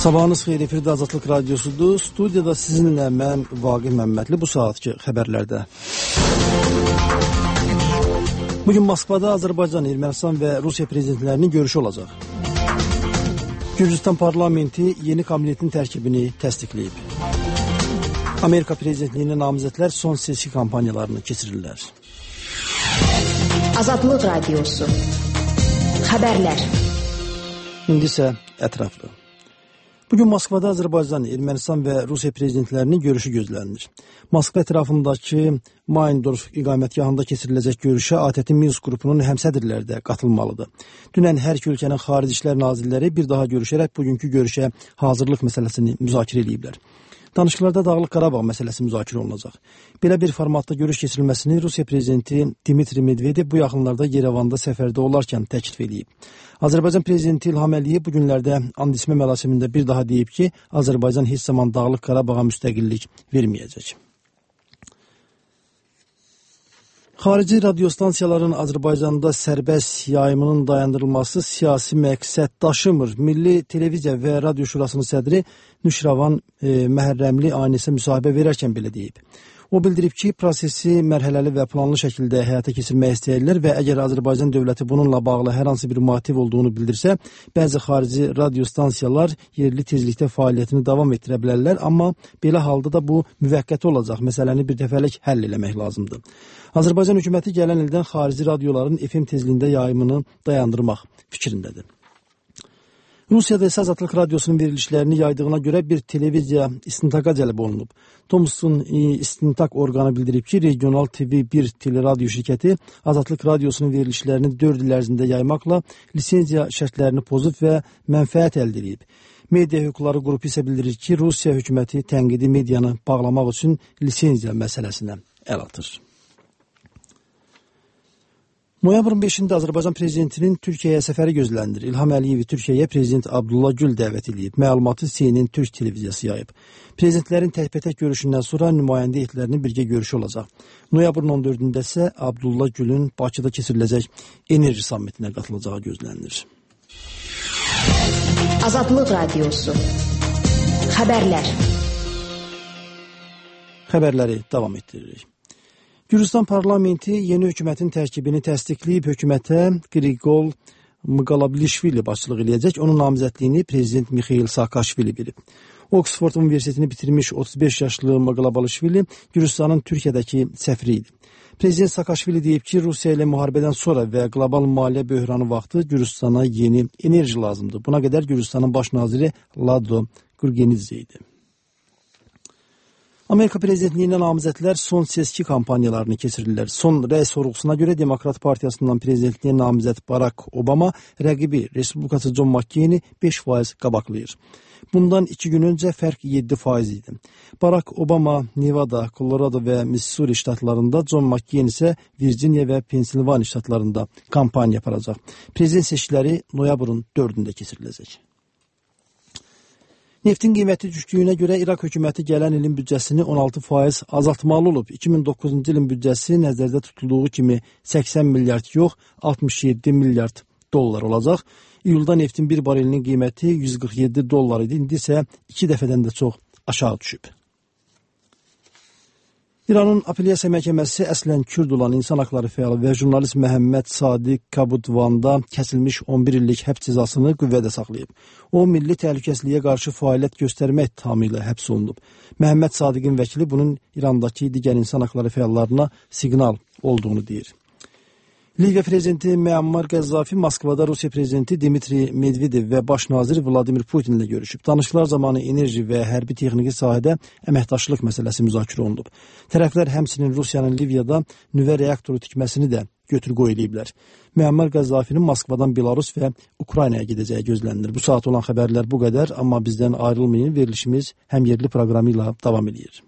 Sabahınız xeyir, efirdə Azadlıq Radyosudur. Studiyada sizinlə mən Vaqif Məmmədli bu saatki xəbərlərdə. Bugün Moskvada Azərbaycan, Ermənistan və Rusiya prezidentlərinin görüşü olacaq. Gürcüstan parlamenti yeni kabinetin tərkibini təsdiqləyib. Amerika prezidentliyinə namizədlər son seçki kampanyalarını keçirirlər. Azadlıq Radyosu. Xəbərlər. İndi isə ətraflı. Bugün Moskvada Azərbaycan, Ermənistan və Rusiya prezidentlərinin görüşü gözlənilir. Moskva ətrafındakı Mayndorf iqamətgahında keçiriləcək görüşə ATƏT Minsk qrupunun həmsədrləri də qatılmalıdır. Dünən hər iki ölkənin xarici işlər nazirləri bir daha görüşərək bugünkü görüşə hazırlıq məsələsini müzakirə ediblər. Danışıqlarda Dağlıq Qarabağ məsələsi müzakirə olunacaq. Belə bir formatda görüş keçirilməsini Rusiya prezidenti Dmitri Medvedev bu yaxınlarda Yerevanda səfərdə olarkən təklif edib. Azərbaycan prezidenti İlham Əliyev bu günlərdə and içmə mərasimində bir daha deyib ki, Azərbaycan heç zaman Dağlıq Qarabağa müstəqillik verməyəcək. Xarici radiostansiyaların Azərbaycanda sərbəst yayımının dayandırılması siyasi məqsəd daşımır. Milli Televiziya və Radio Şurasının sədri Nüşravan Məhərrəmli Aynisə müsahibə verərkən belə deyib. O bildirib ki, prosesi mərhələli və planlı şəkildə həyata keçirmək istəyirlər və əgər Azərbaycan dövləti bununla bağlı hər hansı bir motiv olduğunu bildirsə, bəzi xarici radiostansiyalar yerli tezlikdə fəaliyyətini davam etdirə bilərlər, amma belə halda da bu müvəqqəti olacaq, məsələni bir dəfəlik həll eləmək lazımdır. Azərbaycan hökuməti gələn ildən xarici radioların FM tezliyində yayımını dayandırmaq fikrindədir. Rusiyada isə Azadlıq Radyosunun verilişlərini yaydığına görə bir televiziya istintaqa cəlb olunub. Thomson istintaq orqanı bildirib ki, Regional TV1 teleradyo şirkəti Azadlıq Radyosunun verilişlərini 4 il ərzində yaymaqla lisenziya şərtlərini pozub və mənfəət əldə edib. Media hüquqları qrupu isə bildirir ki, Rusiya hökuməti tənqidi medianı bağlamaq üçün lisenziya məsələsinə əl atır. Noyabrın 5-də Azərbaycan prezidentinin Türkiyəyə səfəri gözlənilir. İlham Əliyevi Türkiyəyə prezident Abdullah Gül dəvət edib. Məlumatı CNN Türk televiziyası yayıb. Prezidentlərin təkbətək görüşündən sonra nümayəndə heyətlərinin birgə görüşü olacaq. Noyabrın 14-də isə Abdullah Gülün Bakıda keçiriləcək enerji sammitinə qatılacağı gözlənilir. Azadlıq Radyosu. Xəbərlər. Xəbərləri davam etdiririk. Gürcüstan parlamenti yeni hökumətin tərkibini təsdiqləyib, hökumətə Qriqol Mqalablişvili başçılıq eləyəcək. Onun namizədliyini prezident Mixail Saakashvili bilib. Oksford Universitetini bitirmiş 35 yaşlı Mqalablişvili Gürcüstanın Türkiyədəki səfiri idi. Prezident Saakashvili deyib ki, Rusiya ilə müharibədən sonra və qlobal maliyyə böhranı vaxtı Gürcüstana yeni enerji lazımdır. Buna qədər Gürcüstanın baş naziri Lado Gurgenidze idi. Amerika prezidentliyinə namizədlər son seçki kampanyalarını keçirirlər. Son rəy sorğusuna görə Demokrat Partiyasından prezidentliyə namizəd Barack Obama rəqibi Respublikaçı John McCain-i 5% qabaqlayır. Bundan 2 gün öncə fərq 7% idi. Barack Obama Nevada, Colorado və Missouri ştatlarında, John McCain isə Virginia və Pensilvaniya ştatlarında kampaniya aparacaq. Prezident seçkiləri noyabrın 4-də keçiriləcək. Neftin qiyməti düşdüyünə görə İraq hökuməti gələn ilin büdcəsini 16% azaltmalı olub. 2009-cu ilin büdcəsi nəzərdə tutulduğu kimi 80 milyard yox, 67 milyard dollar olacaq. İyulda neftin bir barelinin qiyməti 147 dollar idi, indi isə 2 dəfədən də çox aşağı düşüb. İranın apellyasiya məhkəməsi əslən Kürd olan insan haqları fəalı və jurnalist Məhəmməd Sadiq Kabudvanda kəsilmiş 11 illik həbs cəzasını qüvvədə saxlayıb. O, milli təhlükəsizliyə qarşı fəaliyyət göstərmək ittihamı ilə həbs olunub. Məhəmməd Sadiqin vəkili bunun İrandakı digər insan haqları fəallarına siqnal olduğunu deyir. Liviya prezidenti Müammar Qəzzafi Moskvada Rusiya prezidenti Dmitri Medvedev və baş nazir Vladimir Putin ilə görüşüb. Danışıqlar zamanı enerji və hərbi texniki sahədə əməkdaşlıq məsələsi müzakirə olunub. Tərəflər həmçinin Rusiyanın Liviyada nüvə reaktoru tikməsini də götür-qoy eləyiblər. Müammar Qəzzafinin Moskvadan Belarus və Ukraynaya gedəcəyi gözlənilir. Bu saat olan xəbərlər bu qədər, amma bizdən ayrılmayın, verilişimiz həm yerli proqramı ilə davam edir.